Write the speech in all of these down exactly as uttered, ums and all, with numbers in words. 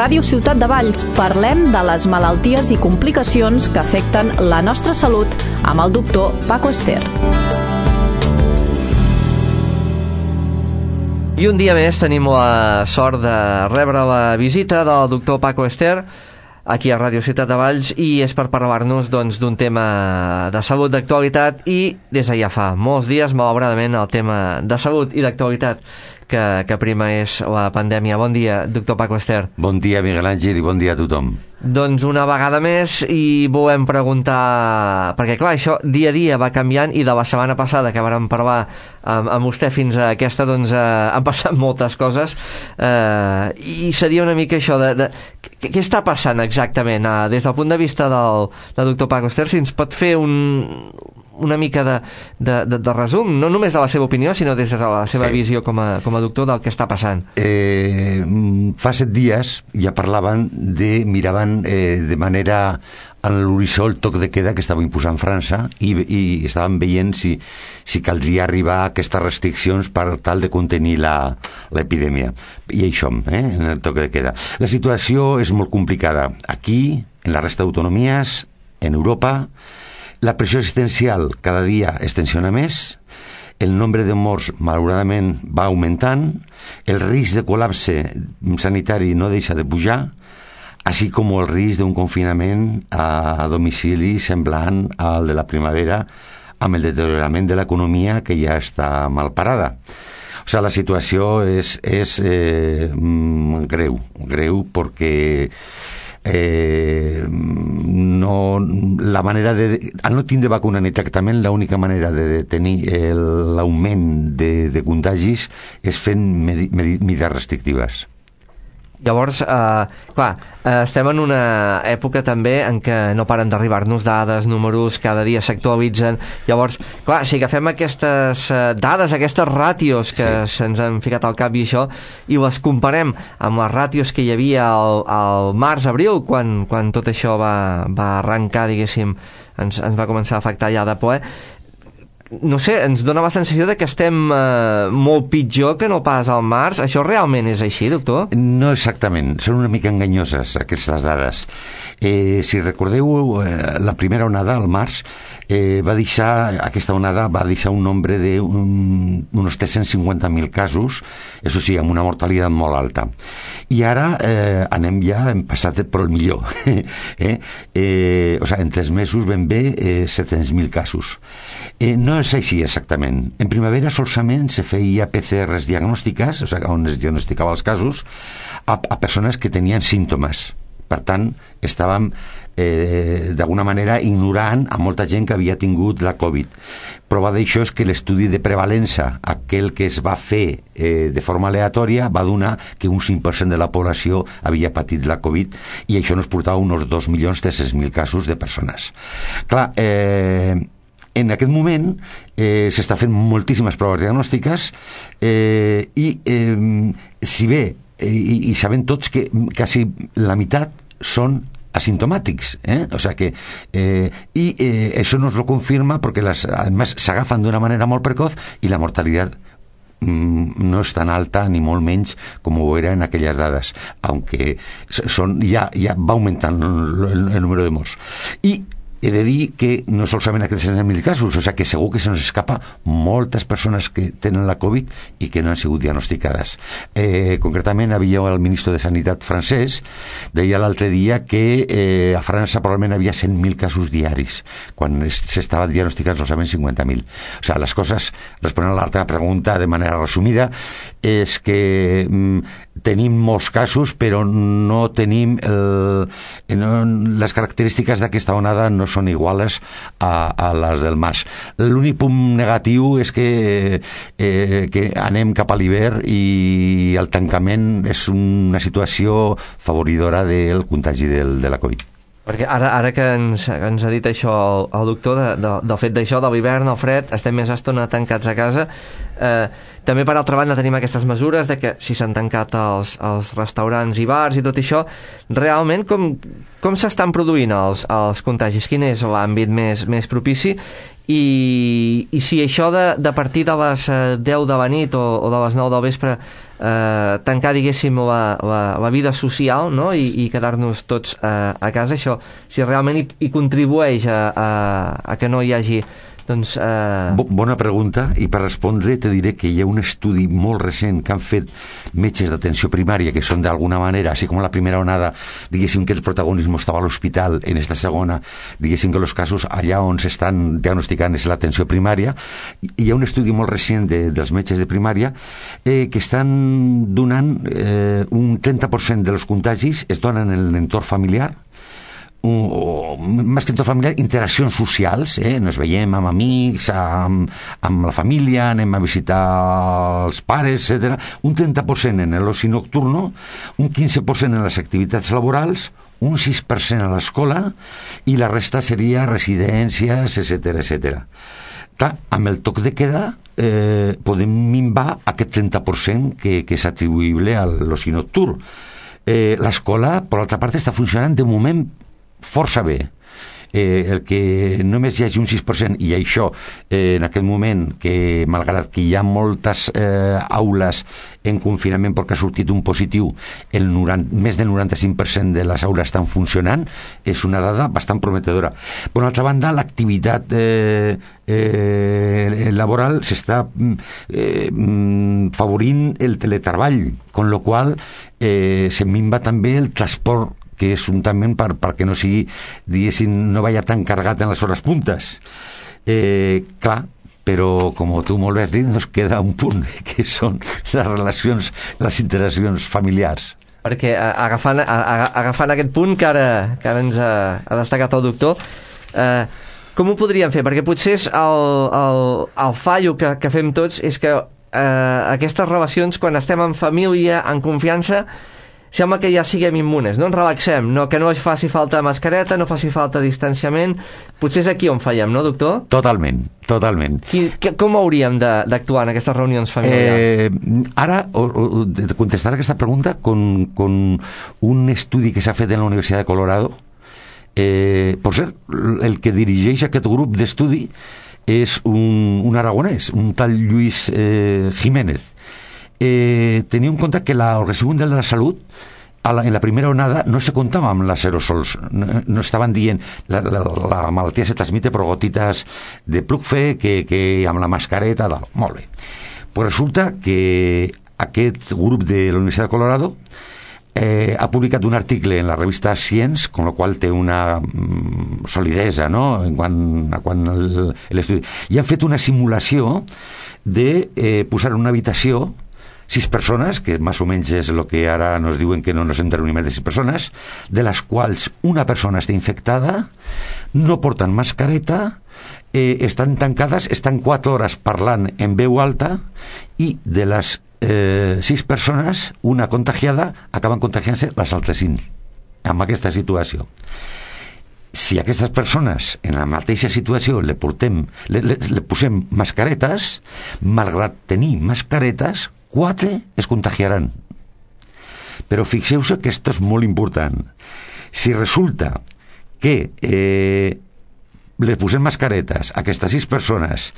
Ràdio Ciutat de Valls parlem de les malalties i complicacions que afecten la nostra salut amb el doctor Paco Ester. I un dia més tenim la sort de rebre la visita del doctor Paco Ester aquí a Ràdio Ciutat de Valls, i és per parlar-nos doncs, d'un tema de salut d'actualitat, i des de ja fa molts dies, malauradament, el tema de salut i d'actualitat que, que prima és la pandèmia. Bon dia, doctor Paco Ester. Bon dia, Miguel Àngel, i bon dia a tothom. Doncs una vegada més, i volem preguntar, perquè clar, això dia a dia va canviant, i de la setmana passada que vàrem parlar amb, amb vostè fins a aquesta, doncs eh, han passat moltes coses, eh, i seria una mica això de, de què, què està passant exactament eh, des del punt de vista del, del doctor Paco Ester, si ens pot fer un una mica de, de, de, de resum, no només de la seva opinió, sinó des de la seva sí. visió com a, com a doctor del que està passant. Eh, fa set dies ja parlaven de, miraven eh, de manera a l'horitzó el toc de queda que estava imposant França, i, i estaven veient si, si caldria arribar a aquestes restriccions per tal de contenir l'epidèmia. I això, eh, en el toc de queda. La situació és molt complicada. Aquí, en la resta d'autonomies, en Europa, la pressió existencial cada dia es tensiona més, el nombre de morts malauradament va augmentant, el risc de col·lapse sanitari no deixa de pujar, així com el risc d'un confinament a domicili semblant al de la primavera, amb el deteriorament de l'economia que ja està mal parada. O sigui, la situació és, és eh, greu, greu perquè Eh, no, la manera de, al no tindre vacuna ni tractament, l'única manera de detenir l'augment de, de contagis és fent medi, medi, medides restrictives. Llavors, eh, clar, eh, estem en una època també en què no paren d'arribar-nos dades, números, cada dia s'actualitzen. Llavors, clar, si agafem aquestes eh, dades, aquestes ràtios que sí. se'ns han ficat al cap i això, i les comparem amb les ràtios que hi havia al, al març-abril, quan, quan tot això va, va arrencar, diguéssim, ens, ens va començar a afectar ja de ple, no sé, ens dona la sensació de que estem eh, molt pitjor que no pas al març. Això realment és així, doctor? No exactament, són una mica enganyoses aquestes dades. Eh, si recordeu, eh, la primera onada, al març, eh, va deixar, aquesta onada va deixar un nombre de un, uns tres-cents cinquanta mil casos, això sí, amb una mortalitat molt alta. I ara eh, anem ja, hem passat per el millor. eh? Eh, o sigui, en tres mesos ben bé eh, set-cents mil casos. Eh, no és així exactament. En primavera solament se feia P C Rs diagnòstiques, o sigui, on es diagnosticava els casos, a, a persones que tenien símptomes. Per tant, estàvem eh, d'alguna manera ignorant a molta gent que havia tingut la Covid. Prova d'això és que l'estudi de prevalença, aquell que es va fer eh, de forma aleatòria, va donar que un cinc per cent de la població havia patit la Covid, i això nos portava uns dos milions tres-cents mil casos de persones. Clar, eh, en aquest moment eh, s'està fent moltíssimes proves diagnòstiques eh, i eh, si bé eh, i, i sabem tots que quasi la meitat són asimptomàtics, eh? O sea que eh, y eh, eso nos lo confirma porque las además s'agafen d'una manera molt precoz i la mortalitat mm, no és tan alta ni molt menys com ho era en aquelles dades, aunque son, ja, ja va augmentant el, el número de morts. I he de dir que no solament aquests setze mil casos, o sigui que segur que se nos escapa moltes persones que tenen la Covid i que no han sigut diagnosticades. Eh, concretament, havia el ministre de Sanitat francès, deia l'altre dia que eh, a França probablement havia cent mil casos diaris, quan s'estava diagnosticant solament cinquanta mil. O sigui, les coses, responent a l'altra pregunta de manera resumida, és que mm, tenim molts casos, però no tenim el, no, les característiques d'aquesta onada no són iguales a, a les del març. L'únic punt negatiu és que, eh, que anem cap a l'hivern i el tancament és una situació favoridora del contagi del, de la Covid. Perquè ara, ara que ens, ens ha dit això el, el doctor, de, de, del fet d'això, de l'hivern, el fred, estem més estona tancats a casa, eh, també per altra banda tenim aquestes mesures de que si s'han tancat els, els restaurants i bars i tot això, realment com, com s'estan produint els, els contagis? Quin és l'àmbit més, més propici? I, i si això de, de partir de les deu de la nit o, o de les nou del vespre eh, tancar, diguéssim, la, la, la vida social, no? I, i quedar-nos tots eh, a casa, això, si realment hi, hi contribueix a, a, a que no hi hagi doncs, eh... Bona pregunta, i per respondre te diré que hi ha un estudi molt recent que han fet metges d'atenció primària, que són d'alguna manera, així com la primera onada, diguéssim que el protagonisme estava a l'hospital, en esta segona, diguéssim que els casos allà on s'estan diagnosticant és l'atenció primària. Hi ha un estudi molt recent de, dels metges de primària eh, que estan donant eh, un trenta per cent dels contagis es donen en l'entorn familiar, o, o més que en tot familiar, interaccions socials, eh? Nos veiem amb amics, amb, amb la família, anem a visitar els pares, etcètera. Un trenta per cent en l'oci nocturno, un quinze per cent en les activitats laborals, un sis per cent a l'escola i la resta seria residències, etcètera, etcètera. Clar, amb el toc de queda eh, podem minvar aquest trenta per cent que, que és atribuïble a l'oci nocturn. Eh, l'escola, per l'altra part, està funcionant de moment força bé. Eh, el que només hi hagi un sis per cent, i això eh, en aquest moment, que malgrat que hi ha moltes eh, aules en confinament perquè ha sortit un positiu, el noranta, més del noranta-cinc per cent de les aules estan funcionant, és una dada bastant prometedora. Per una altra banda, l'activitat eh, eh, laboral s'està eh, favorint el teletreball, con lo qual eh, se minva també el transport, que és juntament per, perquè no sigui, diguéssim, no vaya tan cargat en les hores puntes. Eh, clar, però com tu molt bé has dit, ens queda un punt, que són les relacions, les interaccions familiars. Perquè agafant, agafant aquest punt que ara, que ara ens ha, ha destacat el doctor, eh, com ho podríem fer? Perquè potser és el, el, el fallo que, que fem tots és que eh, aquestes relacions, quan estem en família, en confiança, sembla que ja siguem immunes, no ens relaxem, no, que no faci falta mascareta, no faci falta distanciament. Potser és aquí on fallem, no, doctor? Totalment, totalment. Qui, que, com hauríem d'actuar en aquestes reunions familiars? Eh, ara, o, o, de contestar aquesta pregunta con, con un estudi que s'ha fet en la Universitat de Colorado. Eh, per cert, el que dirigeix aquest grup d'estudi és un, un aragonès, un tal Lluís eh, Jiménez. Eh, tenia en compte que l'Organització Mundial de la Salut a la, en la primera onada no se comptava amb les aerosols, no, no estaven dient la, la, la malaltia se transmite per gotites de plugfe que, que amb la mascareta tal. Molt bé, pues resulta que aquest grup de la Universitat de Colorado eh, ha publicat un article en la revista Science, con lo qual té una mm, solidesa, no?, en quant a quan l'estudi, i han fet una simulació de eh, posar en una habitació sis persones, que més o menys és el que ara nos diuen que no nos entren més de sis persones, de les quals una persona està infectada, no porten mascareta, eh, estan tancades, estan quatre hores parlant en veu alta, i de les eh, sis persones, una contagiada, acaben contagiant-se les altres cinc, amb aquesta situació. Si a aquestes persones en la mateixa situació le, portem, le, le, le posem mascaretes, malgrat tenir mascaretes, quatre es contagiaran. Però fixeu-se que esto és molt important. Si resulta que eh, les posem mascaretes a aquestes sis persones,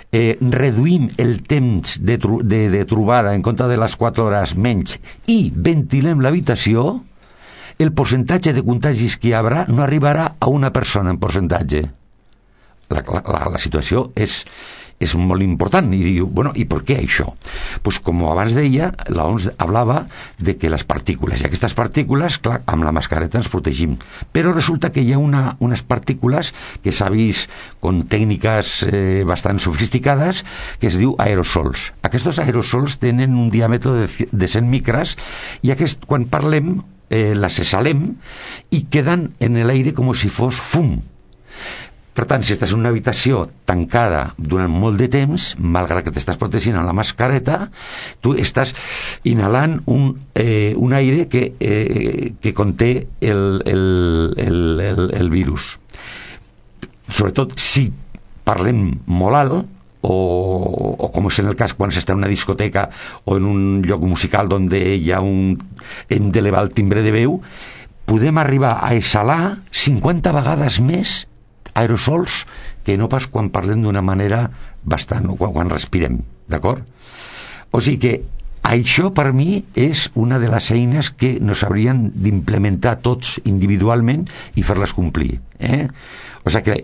eh, reduïm el temps de, tru de, de trobada en compte de les quatre hores menys i ventilem l'habitació, el percentatge de contagis que hi haurà no arribarà a una persona en percentatge. La, la, la situació és, és molt important. I diu, bueno, i per què això? Pues com abans deia, la O M S hablava de que les partícules, i aquestes partícules, clar, amb la mascareta ens protegim, però resulta que hi ha una, unes partícules que s'ha vist con tècniques eh, bastant sofisticades, que es diu aerosols. Aquests aerosols tenen un diàmetre de, de cent micres, i aquest, quan parlem, eh, les exhalem i queden en l'aire com si fos fum. Per tant, si estàs en una habitació tancada durant molt de temps, malgrat que t'estàs protegint amb la mascareta, tu estàs inhalant un, eh, un aire que, eh, que conté el, el, el, el, el virus. Sobretot si parlem molt alt, o, o com és en el cas quan s'està en una discoteca o en un lloc musical on hi ha un, hem d'elevar el timbre de veu, podem arribar a exhalar cinquanta vegades més aerosols que no pas quan parlem d'una manera bastant, quan, quan respirem, d'acord? O sigui que Això per mi és una de les eines que nos haurien d'implementar tots individualment i fer-les complir, eh? O sigui que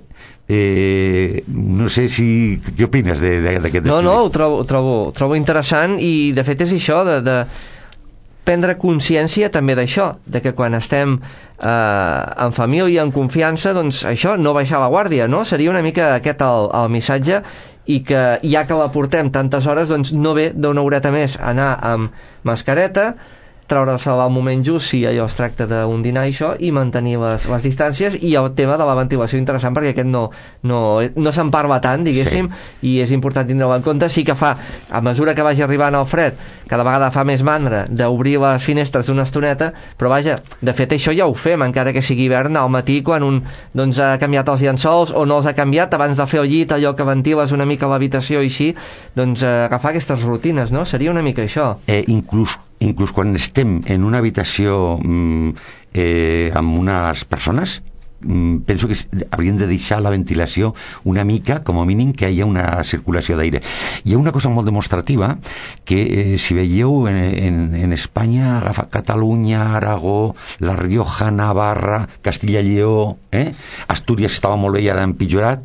eh, no sé si què opines d'aquest estudi? No, no, ho trobo, ho trobo, ho trobo interessant, i de fet és això de, de prendre consciència també d'això, de que quan estem eh, en família, en confiança, doncs això, no baixar la guàrdia, no? Seria una mica aquest el, el missatge, i que ja que la portem tantes hores, doncs no ve d'una horeta més anar amb mascareta, treure-se al moment just si allò es tracta d'un dinar i això, i mantenir les, les distàncies, i el tema de la ventilació interessant, perquè aquest no, no, no se'n parla tant, diguéssim, sí. I és important tindre-ho en compte. Sí que fa, a mesura que vagi arribant el fred, cada vegada fa més mandra d'obrir les finestres una estoneta, però vaja, de fet això ja ho fem, encara que sigui hivern, al matí quan un doncs, ha canviat els llençols o no els ha canviat, abans de fer el llit, allò que ventiles una mica l'habitació i així, doncs eh, agafar aquestes rutines, no? Seria una mica això. Eh, inclús inclús quan estem en una habitació mm, eh, amb unes persones, mm, penso que hauríem de deixar la ventilació una mica, com a mínim que hi ha una circulació d'aire. Hi ha una cosa molt demostrativa que eh, si veieu en, en, en Espanya, agafa Catalunya, Aragó, La Rioja, Navarra, Castilla i Lleó, eh? Astúries estava molt bé i ara ha empitjorat,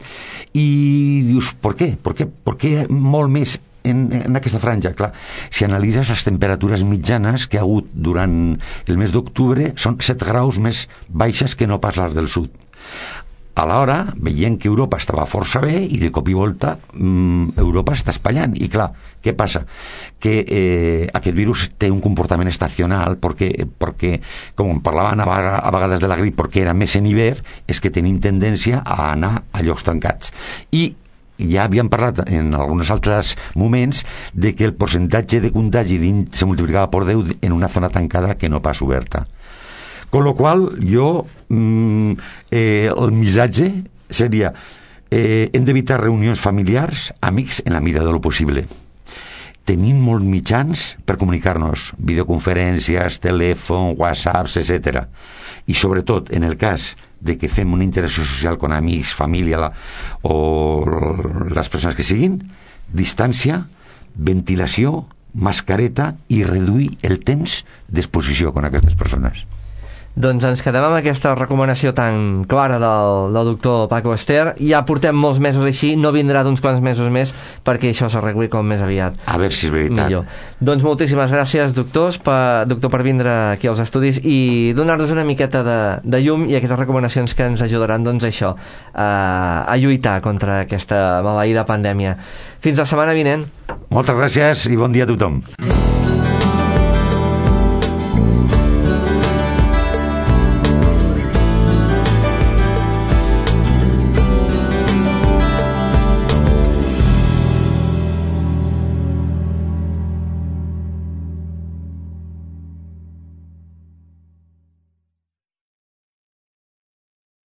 i dius, per què? Per què, per què molt més En, en aquesta franja? Clar, si analitzes les temperatures mitjanes que ha hagut durant el mes d'octubre, són set graus més baixes que no pas les del sud. Alhora, veient que Europa estava força bé, i de cop i volta mmm, Europa està espatllant, i clar, què passa? Que eh, aquest virus té un comportament estacional, perquè, perquè com parlaven a, a vegades de la grip, perquè era més en hivern, és que tenim tendència a anar a llocs tancats. I ja havíem parlat en alguns altres moments de que el percentatge de contagi se multiplicava per deu en una zona tancada que no pas oberta. Con lo qual, jo mm, eh, el missatge seria eh, hem d'evitar reunions familiars, amics, en la mida de lo possible. Tenim molts mitjans per comunicar-nos, videoconferències, telèfon, whatsapps, etcètera. I sobretot, en el cas de que fem una interacció social con amics, família la, o les persones que siguin, distància, ventilació, mascareta i reduir el temps d'exposició con aquestes persones. Doncs ens quedem amb aquesta recomanació tan clara del, del doctor Paco Ester. Ja portem molts mesos així, no vindrà d'uns quants mesos més perquè això s'arregli com més aviat. A veure si és veritat. Millor. Doncs moltíssimes gràcies, doctors, per, doctor, per vindre aquí als estudis i donar-nos una miqueta de, de llum i aquestes recomanacions que ens ajudaran, doncs, això, a, a lluitar contra aquesta maleïda pandèmia. Fins la setmana vinent. Moltes gràcies i bon dia a tothom.